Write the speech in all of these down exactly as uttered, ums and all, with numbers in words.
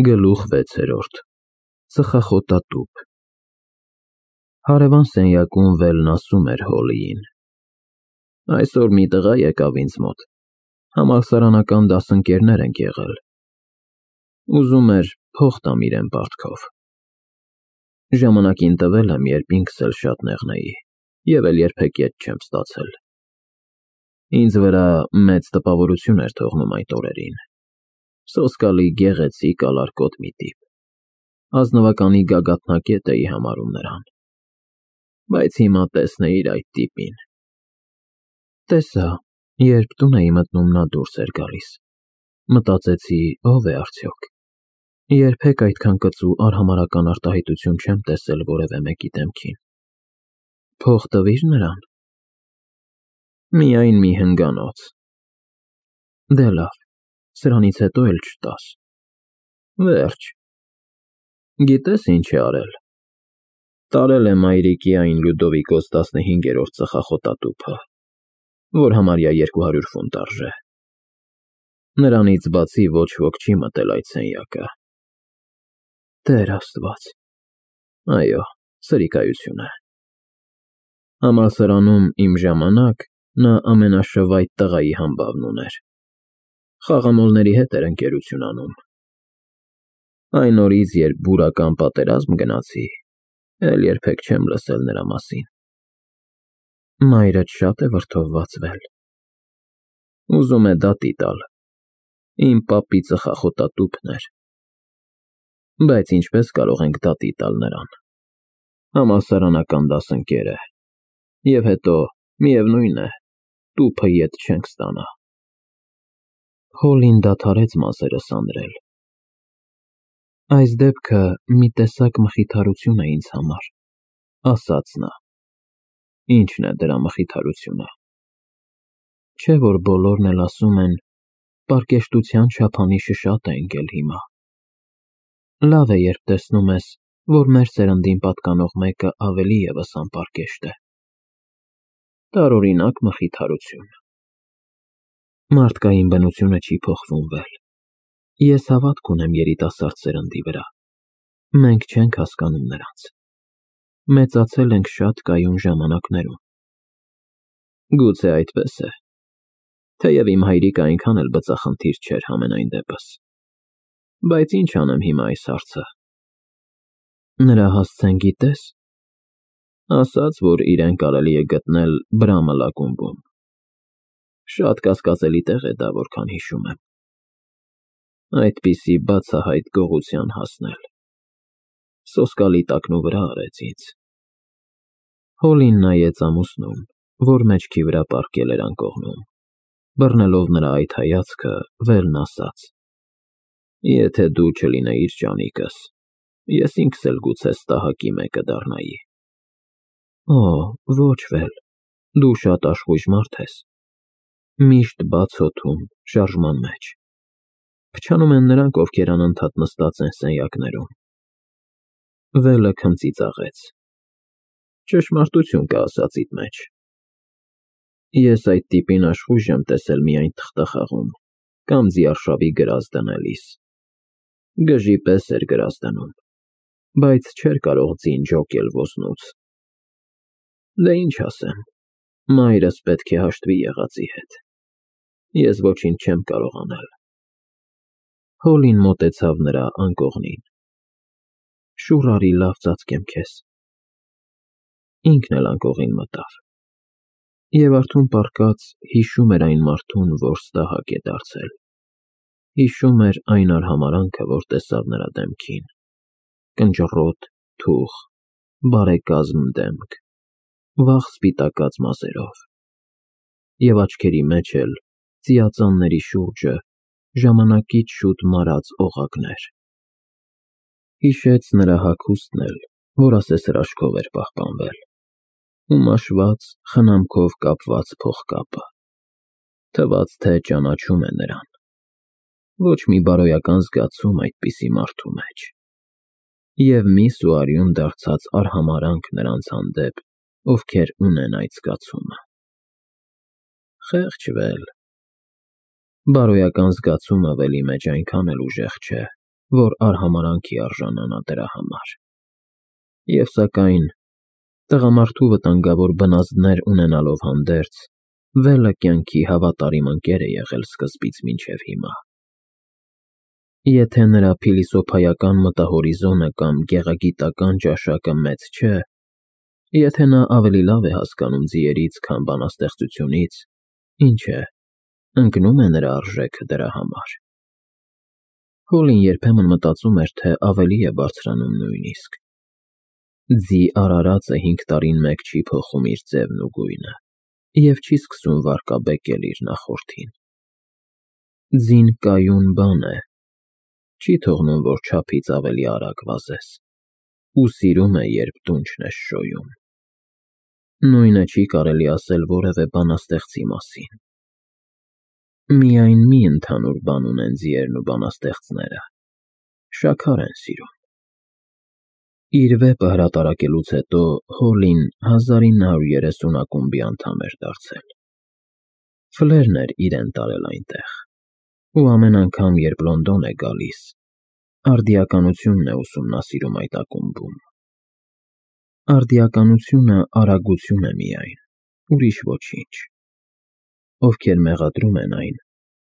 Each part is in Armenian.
Գլուխ վեցերորդ Ծխախոտատուփ Հարևան սենյակում Վելն ասում էր Հոլլիին. Այսօր մի տղա եկավ ինձ մոտ, համալսարանական դասընկերներ ենք եղել, ուզում էր փող տամ իրեն պարտքով, ժամանակին տվել եմ, երբ ինքս էլ շատ նեղնեի և էլ երբեք ետ չեմ ստացել, ինձ վրա մեծ տպավորություն էր թողնում այդ օրերին, սոսկալի գեղեցիկ ալարկոտ մի տիպ, ազնվականի գագաթնակետ էի համարում նրան, բայց հիմա տեսնեիր այդ տիպին, տեսա, երբ տուն էի մտնում նա դուրս էր գալիս, մտածեցի ով է արդյոք, երբեք այդքան կծու արհամարհական արտահայտություն չեմ տեսել որևէ մեկի դեմքին, փող տվի՞ր նրան, միայն մի հնգանոց, դե լավ, սրանից հետո էլ չտաս, վերջ, գիտես ինչ է արել, տարել է մայրիկի այն Լյուդովիկոս տասնհինգերորդ ծխախոտատուփը, որ համարյա երկու հարյուր ֆունտ արժե, նրանից բացի ոչ ոք չի մտել այդ սենյակը, Տեր Աստված, այո, սրիկայություն է, համալսարանում իմ ժամանակ նա ամենաշվայտ տղայի համբավն ուներ, խաղամոլների հետ էր ընկերություն անում, այն օրից, երբ բուրական պատերազմ գնացի, էլ երբեք չեմ լսել նրա մասին, մայրդ շատ է վրդովված Վել, ուզում է դատի տալ, իմ պապի ծխախոտատուփն էր, բայց ինչպես կարող ենք դատի տալ նրան, համալսարանական դասընկեր է, և հետո, միևնույն է, տուփը ետ չենք ստանա, Հոլլին դադարեց մազերը սանրել, այս դեպքը մի տեսակ մխիթարություն է ինձ համար, ասաց նա, ինչն է դրա մխիթարությունը, չէ որ բոլորն էլ ասում են, պարկեշտության չափանիշը շատ է ընկել հիմա, լավ է երբ տեսնում ես, որ մեր սերնդին պատկանող մեկը ավելի ևս անպարկեշտ է, տարօրինակ մխիթարություն, մարդկային բնությունը չի փոխվում Վել, ես հավատք ունեմ երիտասարդ սերնդի վրա, մենք չենք հասկանում նրանց, մեծացել ենք շատ կայուն ժամանակներում, գուցե այդպես է, թեև իմ հայրիկը այնքան էլ բծախնդիր չէր համենայն դեպս, բայց ինչ անեմ հիմա այս հարցը, նրա հասցեն գիտես, ասաց, որ իրեն կարելի է գտնել Բրամլ ակումբում, շատ կասկածելի տեղ է դա, որքան հիշում եմ, այդպիսի բացահայտ գողության հասնել, սոսկալի տակնու վրա արեց ինձ, Հոլլին նայեց ամուսնուն, որ մեջքի վրա պառկել էր անկողնում, բռնելով նրա այդ հայացքը, Վելն ասաց, եթե դու չլինեիր ջանիկս, ես ինքս էլ գուցե ստահակի մեկը դառնայի, օ, ոչ Վել, դու շատ աշխույժ մարդ ես, միշտ բաց հոգում, շարժման մեջ, փչանում են նրանք, ովքեր անընդհատ նստած են սենյակներում, Վելը քնծիծաղեց, ճշմարտություն կա ասածիդ մեջ, ես այդ տիպին աշխույժ եմ տեսել միայն թղթախաղում, կամ ձիարշավի գրազ դնելիս, գժի պես էր գրազ դնում, բայց չէր կարող ձին ջոկել ոզնուց, դե ինչ ասեմ, մայրս պետք է հաշտվի եղածի հետ, ես ոչինչ չեմ կարող անել, Հոլլին մոտեցավ նրա անկողնին, շուռ արի լավ ծածկեմ քեզ, ինքն էլ անկողին մտավ, և արթուն պառկած հիշում էր այն մարդուն, որ ստահակ է դարձել, հիշում էր այն արհամարհանքը, որ տեսավ նրա դեմքին, կնճռոտ, թուխ, բարեկազմ դեմք, վաղ սպիտակած մազերով, և աչքերի մեջ էլ ծիածանների շուրջը ժամանակից շուտ մարած օղակներ, հիշեց նրա հագուստն էլ, որ ասես հրաշքով էր պահպանվել, ու մաշված, խնամքով կապված փողկապը, թվաց, թե ճանաչում է նրան, ոչ մի բարոյական զգացում այդպիսի մարդու մեջ, և մի սուարյուն դարձած արհամարհանք նրանց հանդեպ, ովքեր ունեն այդ զգացումը, խեղճ Վել, բարոյական զգացումը Վելի մեջ այնքան էլ ուժեղ չէ, որ արհամարանքի արժանանա դրա համար։ Եվ սակայն, տղամարդու վտանգավոր բնազդներ ունենալով հանդերձ, Վելը կյանքի հավատարիմ ընկեր է եղել սկզբից մինչև հիմա։ Եթե նրա փիլիսոփայական մտահորիզոնը կամ գեղագիտական ճաշակը մեծ չէ, եթե նա ավելի լավ է հասկանում ձիերից, քան բանաստեղծությունից, ինչ է, ընկնում է նրա արժեքը դրա համար։ Հոլին երբեմն մտածում էր, թե ավելի է բարձրանում նույնիսկ։ Ձի արարածը հինգ տարին մեկ չի փոխում իր ձևն ու գույնը, և չի սկսում վարկաբեկել իր նախորդին։ Ձին կայուն բան է, չի թողնում, որ չափից ավելի արագ վազես, ու սիրում է, երբ դունչն ես շոյում։ Նույնը չի կարելի ասել որևէ բանաստեղծի մասին։ Միայն մի ընդհանուր բան ունեն ձիերն ու բանաստեղծները՝ շաքար են սիրում։ Իր վեպը հրատարակելուց հետո Հոլին հազար ինը հարյուր երեսուն ակումբի անդամ էր դարձել։ Ֆլերն էր իրեն տարել այնտեղ, ու ամեն անգամ, երբ Լոնդոն է գալիս, արդիականությունն է ուսումնասիրում այդ ակումբում։ Արդիականությունը արագություն է միայն, ուրիշ ոչինչ։ Ովքեր մեղադրում են այն,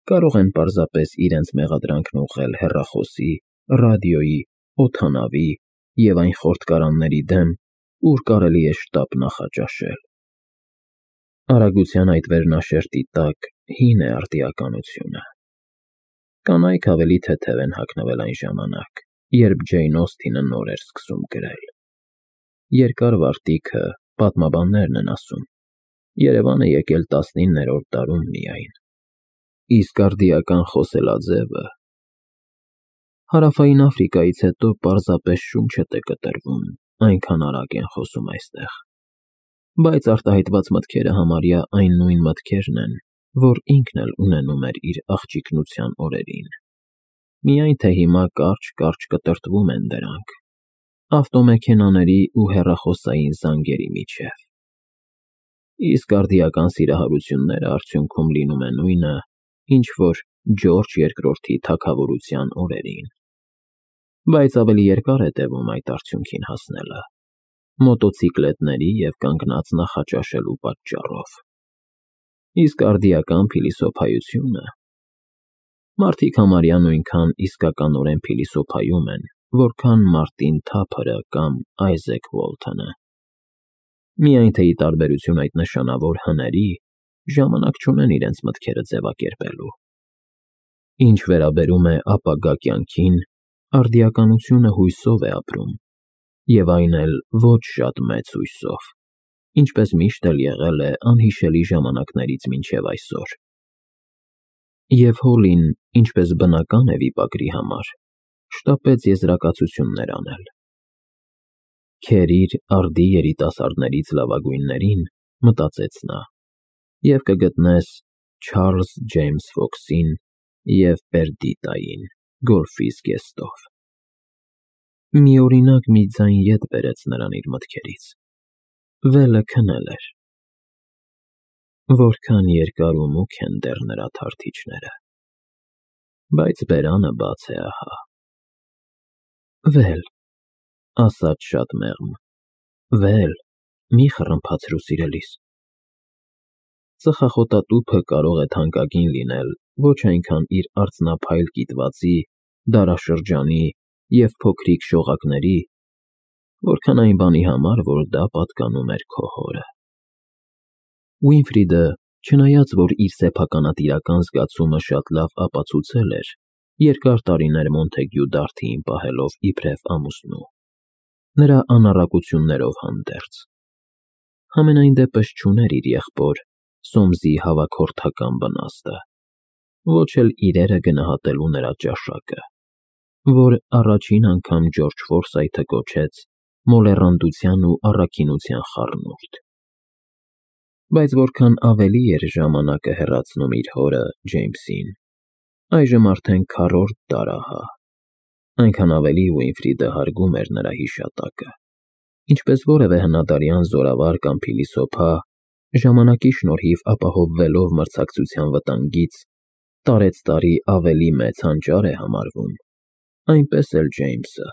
կարող են պարզապես իրենց մեղադրանքն ուղղել հեռախոսի, ռադիոյի, օդանավի և այն խորտկարանների դեմ, ուր կարելի է շտապ նախաճաշել։ Արագության այդ վերնաշերտի տակ հին է արդիականությունը։ Կանայք ավելի թեթև են հագնվել այն ժամանակ, երբ Ջեյն Օսթինը նոր էր սկսում գրել։ Երկար վարտիքը, պատմաբաններն են ասում, Երևան է եկել տասնիններորդ դարում միայն, իսկ արդիական խոսելաձևը… Հարավային Աֆրիկայից հետո պարզապես շունչդ է կտրվում, այնքան արագ են խոսում այստեղ, բայց արտահայտված մտքերը համարյա այն նույն մտքերն են, որ ինքն էլ ունենում էր իր աղջիկնության օրերին, միայն թե հիմա կարճ-կարճ կտրտվում են դրանք, ավտոմեքենաների ու հեռախոսային զանգերի միջև։ Իսկ արդիական սիրահարությունները արդյունքում լինում է նույնը, ինչ որ Ջորջ երկրորդի թագավորության օրերին, բայց ավելի երկար է տևում այդ արդյունքին հասնելը, մոտոցիկլետների և կանգնած նախաճաշելու պատճառով։ Իսկ արդիական փիլիսոփայությունը… Մարդիկ համարյա նույնքան իսկականորեն փիլիսոփայում են, որքան Մարտին Թափըրը կամ Այզեք Ուոլթոնը։ Միայն թե ի տարբերություն այդ նշանավոր հների, ժամանակ չունեն իրենց մտքերը ձևակերպելու։ Ինչ վերաբերում է ապագա կյանքին, արդիականությունը հույսով է ապրում, և այն էլ ոչ շատ մեծ հույսով, ինչպես միշտ էլ եղել է անհիշելի ժամանակներից մինչև այսօր։ Եվ Հոլին, ինչպես բնական է վիպագրի համար, շտապեց եզրակացություններ անել։ «Քերիր արդի երիտասարդներից լավագույններին», մտածեց նա, «և կգտնես Չարլզ Ջեյմս Ֆոքսին և Պերդիտային գոլֆի զգեստով»։ Միօրինակ մի ձայն ետ բերեց նրան իր մտքերից. Վելը քնել էր։ Որքան երկար ու մուգ են դեռ նրա թարթիչները, բայց բերանը բաց է ահա։ Վել, ասաց շատ մեղմ, Վել, մի խռմփացրու սիրելիս։ Ծխախոտատուփը կարող է թանկագին լինել ոչ այնքան իր արծնափայլ կիտվածի, դարաշրջանի և փոքրիկ շողակների, որքան այն բանի համար, որ դա պատկանում էր քո հորը։ Ուինֆրիդը, չնայած որ իր սեփականատիրական զգացումը շատ լավ ապացուցել էր, երկար տարիներ Մոնթեգյու Դարթիին պահելով իբրև ամուսնու, նրա անառակություններով հանդերձ, համենայն դեպս չուներ իր եղբոր Սոմսի հավաքորդական բնազդը, ոչ էլ իրերը գնահատելու նրա ճաշակը, որ առաջին անգամ Ջորջ Ֆորսայթը կոչեց մոլեռանդության ու առաքինության խառնուրդ։ Բայց որքան ավելի էր ժամանակը հեռացնում իր հորը՝ Ջեյմսին, այժմ արդեն քառորդ դար ահա, այնքան ավելի Ուինֆրիդը հարգում էր նրա հիշատակը, ինչպես որևէ հնադարյան զորավար կամ փիլիսոփա, ժամանակի շնորհիվ ապահովվելով մրցակցության վտանգից, տարեցտարի ավելի մեծ հանճար է համարվում, այնպես էլ Ջեյմսը։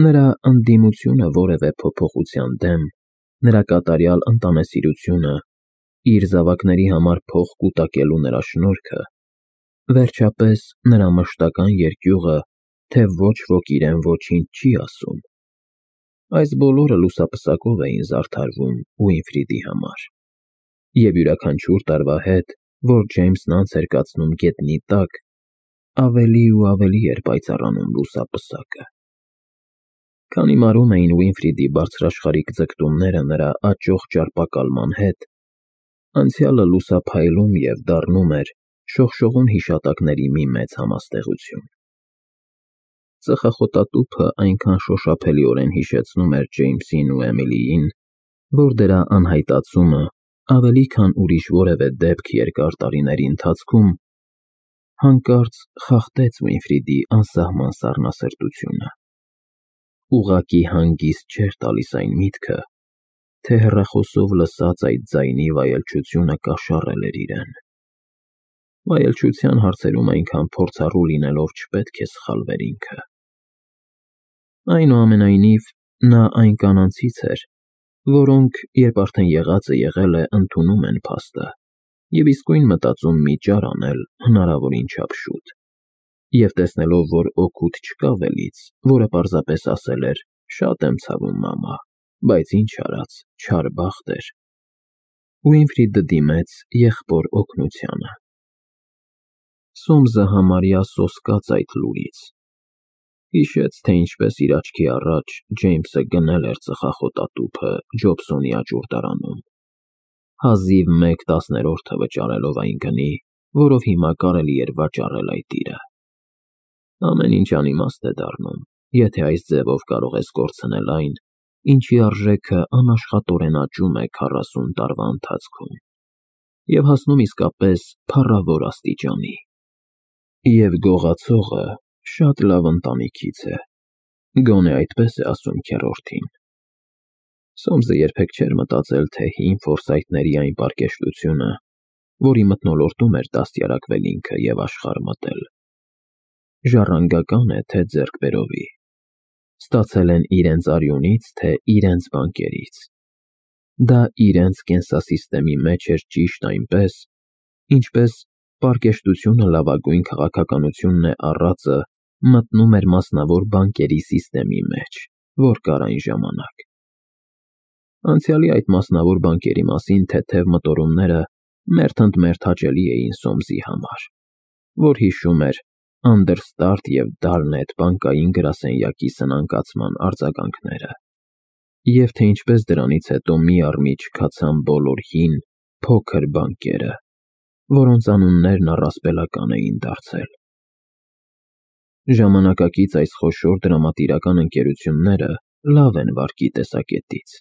Նրա ընդդիմությունը որևէ փոփոխության դեմ, նրա կատարյալ ընտանեսիրությունը, իր զավակների համար փող կուտակելու նրա շնորհքը, վերջապես նրա մշտական երկյուղը, թե ոչ ոք իրեն ոչինչ չի ասում, այս բոլորը լուսապսակով էին զարդարվում Ուինֆրիդի համար, և յուրաքանչյուր տարվա հետ, որ Ջեյմսն անց էր կացնում գետնի տակ, ավելի ու ավելի էր պայծառանում լուսապսակը։ Քանի մարում էին Ուինֆրիդի բարձրաշխարհիկ ձգտումները նրա աճող ճարպակալման հետ, անցյալը լուսափայլում և դառնում էր շողշողուն հիշատակների մի մեծ համաստեղություն։ Ծխախոտատուփը այնքան շոշափելիորեն հիշեցնում էր Ջեյմսին ու Էմիլիին, որ դրա անհայտացումը ավելի քան ուրիշ որևէ դեպք երկար տարիների ընթացքում հանկարծ խախտեց Ուինֆրիդի անսահման սառնասրտությունը։ Ուղղակի հանգիստ չէր տալիս այն միտքը, թե հեռախոսով լսած այդ ձայնի վայելչությունը կաշառել էր իրեն։ Վայելչության հարցերում այնքան փորձառու լինելով չպետք է սխալվեր ինքը։ Այնուամենայնիվ, նա այն կանանցից էր, որոնք, երբ արդեն եղածը եղել է, ընդունում են փաստը և իսկույն մտածում մի ճար անել հնարավորին չափ շուտ, և տեսնելով, որ օգուտ չկա վելից, որը պարզապես ասել էր. «Շատ եմ ցավում, մամա, բայց ինչ արած, չար բախտ էր», Ուինֆրիդը դիմեց եղբոր օգնությանը։ Սոմսը համարյա սոսկաց այդ լուրից։ Հիշեց, թե ինչպես իր աչքի առաջ Ջեյմսը գնել էր ծխախոտատուփը Ջոբսոնի աճուրդարանում, հազիվ մեկ տասներորդը վճարելով այն գնի, որով հիմա կարելի էր վաճառել այդ իրը։ Ամեն ինչ անիմաստ է դառնում, եթե այս ձևով կարող ես կորցնել այն, ինչի արժեքը անաշխատորեն աճում է քառասուն տարվա ընթացքում, և հասնում իսկապես փառավոր աստիճանի։ Եվ գողացողը շատ լավ ընտանիքից է, գոնե այդպես է ասում քեռորդին։ Սոմսը երբեք չէր մտածել, թե հին ֆորսայթների այն պարկեշտությունը, որի մթնոլորտում էր դաստիարակվել ինքը և աշխարհ մտել, ժառանգական է, թե ձեռքբերովի, ստացել են իրենց արյունից, թե իրենց բանկերից։ Դա իրենց կենսասիստեմի մեջ էր ճիշտ այնպես, ինչպես պարկեշտությունը լավագույն քաղաքականությունն է առածը մտնում էր մասնավոր բանկերի սիստեմի մեջ, որ կար այն ժամանակ։ Անցյալի այդ մասնավոր բանկերի մասին թեթև մտորումները մերթընդմերթ հաճելի էին Սոմսի համար, որ հիշում էր Անդերստարտ և Դարնետ բանկային գրասենյակի սնանկացման արձագանքները, և թե ինչպես դրանից հետո մի առ մի չքացան բոլոր հին, փոքր բանկերը, որոնց անուններն առասպելական էին դարձել։ Ժամանակակից այս խոշոր դրամատիրական ընկերությունները լավ են վարկի տեսակետից,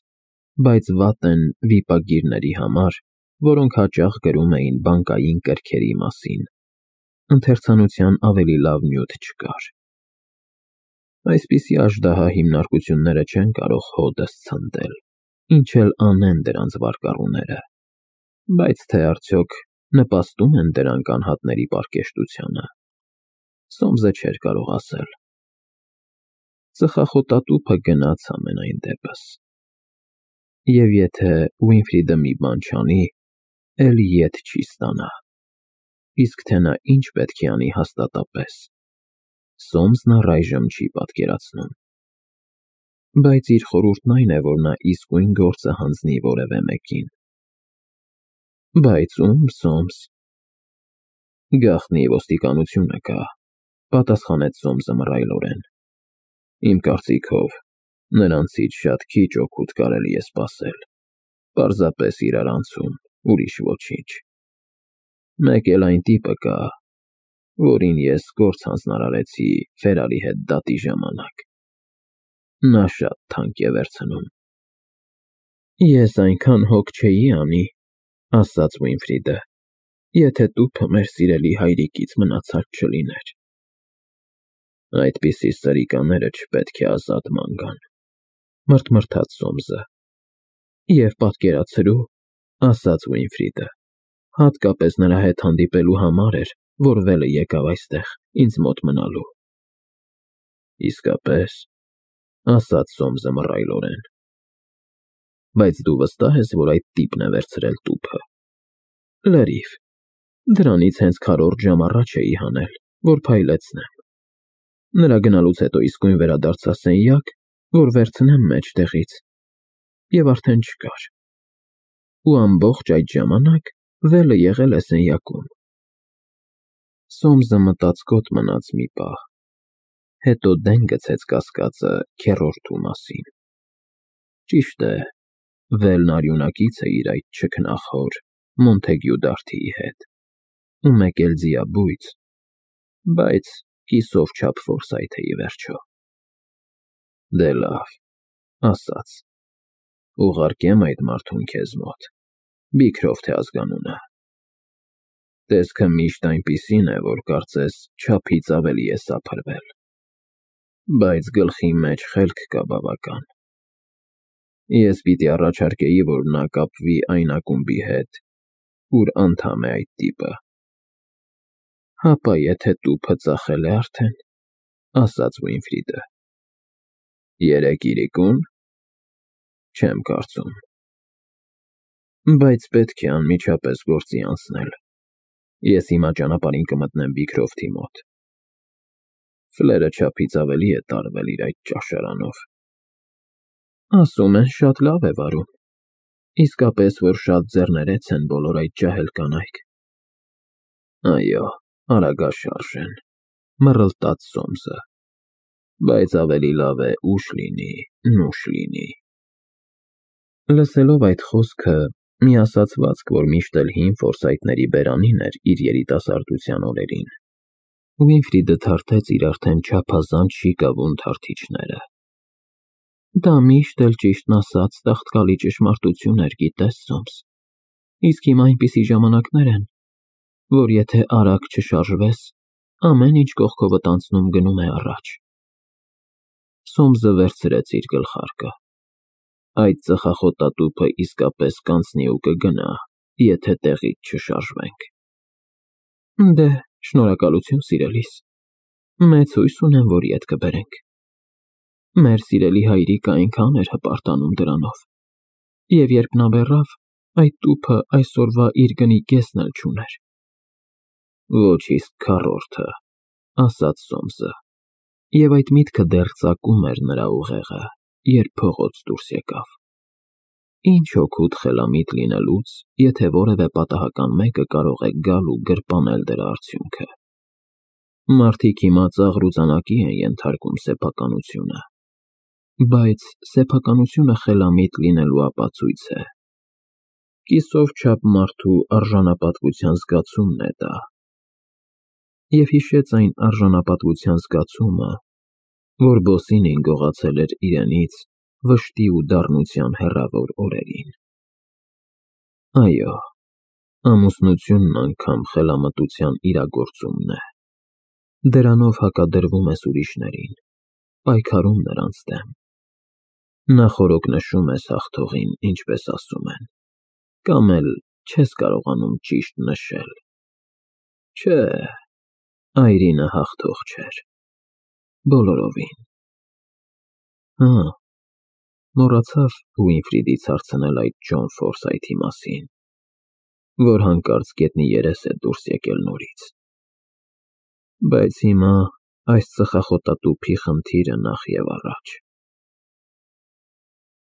բայց վատ են վիպագիրների համար, որոնք հաճախ գրում էին բանկային կրքերի մասին, ընթերցանության ավելի լավ նյութ չկար։ Այսպիսի աժդահա հիմնարկությունները չեն կարող հօդս ցնդել, ինչ էլ անեն դրանց վարկառուները, բայց թե արդյոք նպաստում են դրանք անհատների պարկեշտությանը, Սոմսը չէր կարող ասել։ Ծխախոտատուփը գնաց համենայն դեպս։ Եվ եթե Ուինֆրիդը մի բան չանի, էլ ետ չի ստանա։ Իսկ թե նա ինչ պետք է անի հաստատապես, Սոմսն առայժմ չի պատկերացնում։ Բայց իր խորհուրդն այն է, որ նա իսկույն գործը հանձնի որևէ մեկին։ Բայց ո՞ւմ, Սոմս։ Գաղտնի ոստիկանությունը կա, պատասխանեց Սոմսը մռայլորեն։ Իմ կարծիքով, նրանցից շատ քիչ օգուտ կարելի է սպասել, պարզապես իրարանցում, ուրիշ ոչինչ։ Մեկ էլ այն տիպը կա, որին ես գործ հանձնարարեցի Ֆերարի հետ դատի ժամանակ։ Նա շատ թանկ է վերցնում։ Ես այնքան հոգ չէի անի, ասաց Ուինֆրիդը, եթե տուփը մեր սիրելի հայրիկից մնացած չլիներ։ Այդպիսի սրիկաները չպետք է ազատ ման գան, մռթմռթաց Սոմսը։ Եվ պատկերացրու, ասաց Ուինֆրիդը, հատկապես նրա հետ հանդիպելու համար էր, որ վելը եկավ այստեղ, ինձ մոտ մնալու։ Իսկապես, ասաց Սոմսը մռայլորեն։ Բայց դու վստահ ես, որ այդ տիպն է վերցրել տուփը։ Լրիվ։ Դրանից հենց քառորդ ժամ առաջ էի հանել, որ փայլեցնեմ։ Նրա գնալուց հետո իսկույն վերադարձա սենյակ, որ վերցնեմ մեջտեղից, և արդեն չկար։ Ու ամբողջ այդ ժամանակ վելը եղել է սենյակում։ Սոմսը մտածկոտ մնաց մի պահ, հետո դեն գցեց կասկածը քեռորդու մասին։ Ճիշտ է, վելն արյունակից է իր այդ չքնաղոր Մոնթեգյու Դարթիի հետ, ու մեկ էլ ձիաբույծ, բայց կիսով չափ ֆորսայթ է, ի վերջո։ Դե լավ, ասաց. ուղարկեմ այդ մարդուն քեզ մոտ, Բիքրոֆթ է ազգանունը։ Տեսքը միշտ այնպիսին է, որ կարծես չափից ավելի է սափրվել, բայց գլխի մեջ խելք կա բավական։ Ես պիտի առաջարկեի, որ նա կապվի այն ակումբի հետ, ուր անդամ է այդ տիպը։ Հապա եթե տուփը ծախել է արդեն, ասաց Ուինֆրիդը։ Երեք իրիկո՞ւն։ Չեմ կարծում։ Բայց պետք է անմիջապես գործի անցնել։ Ես հիմա ճանապարհին կմտնեմ Բիքրոֆթի մոտ։ Ֆլերը չափից ավելի է տարվել իր այդ ճաշարանով։ Ասում են, շատ լավ է վարում։ Իսկապես, որ շատ ձեռներեց են բոլոր այդ ջահել կանայք։ Այո, արագաշարժ են, մռլտաց Սոմսը։ Բայց ավելի լավ է ուշ լինի, նուշ լինի։ Լսելով այդ խոսքը, մի ասացվածք, որ միշտ էլ հին ֆորսայթների բերանին էր իր երիտասարդության օրերին, Ուինֆրիդը թարթեց իր արդեն չափազանց շիկավուն թարթիչները։ Դա միշտ էլ ճիշտն ասած տաղտկալի ճշմարտություն էր, գիտես, Սոմս։ Իսկ հիմա այնպիսի ժամանակներ են, որ եթե արագ չշարժվես, ամեն ինչ կողքովդ անցնում գնում է առաջ։ Սոմսը վերցրեց իր գլխարկը։ Այդ ծխախոտատուփը իսկապես կանցնի ու կգնա, եթե տեղից չշարժվենք։ Դե, շնորհակալություն, սիրելիս։ Մեծ հույս ունեմ, որ ետ կբերենք։ Մեր սիրելի հայրիկը այնքան էր հպարտանում դրանով, և երբ նա մեռավ, այդ տուփը այսօրվա իր գնի կեսն էլ չուներ։ Ոչ իսկ քառորդը, ասաց Սոմսը, և այդ միտքը դեռ ծակում էր նրա ուղեղը, երբ փողոց դուրս եկավ։ Ինչ օգուտ խելամիտ լինելուց, եթե որևէ պատահական մեկը կարող է գալ ու գրպանել դրա արդյունքը։ Մարդիկ հիմա ծաղրուծանակի են ենթարկում սեփականությունը, բայց սեփականությունը խելամիտ լինելու ապացույց է։ Կիսով չափ մարդու արժանապատվության զգացումն է դա։ Եվ հիշեց այն արժանապատվության զգացումը, որ Բոսինին գողացել էր իրենից վշտի ու դառնության հեռավոր օրերին։ Այո, ամուսնությունն անգամ խելամտության իրագործումն է։ Դրանով հակադրվում ես ուրիշներին, պայքարում նրանց դեմ։ Նախօրոք նշում ես հաղթողին, ինչպես ասում են, կամ էլ չես կարողանում ճիշտ նշել։ Չէ, այրինը հաղթող չէր, բոլորովին։ Հա, մոռացավ Ուինֆրիդից հարցնել այդ Ջոն Ֆորսայթի մասին, որ հանկարծ գետնի երես է դուրս եկել նորից։ Բայց հիմա այս ծխախոտատուփի խնդիրը նախ և առաջ։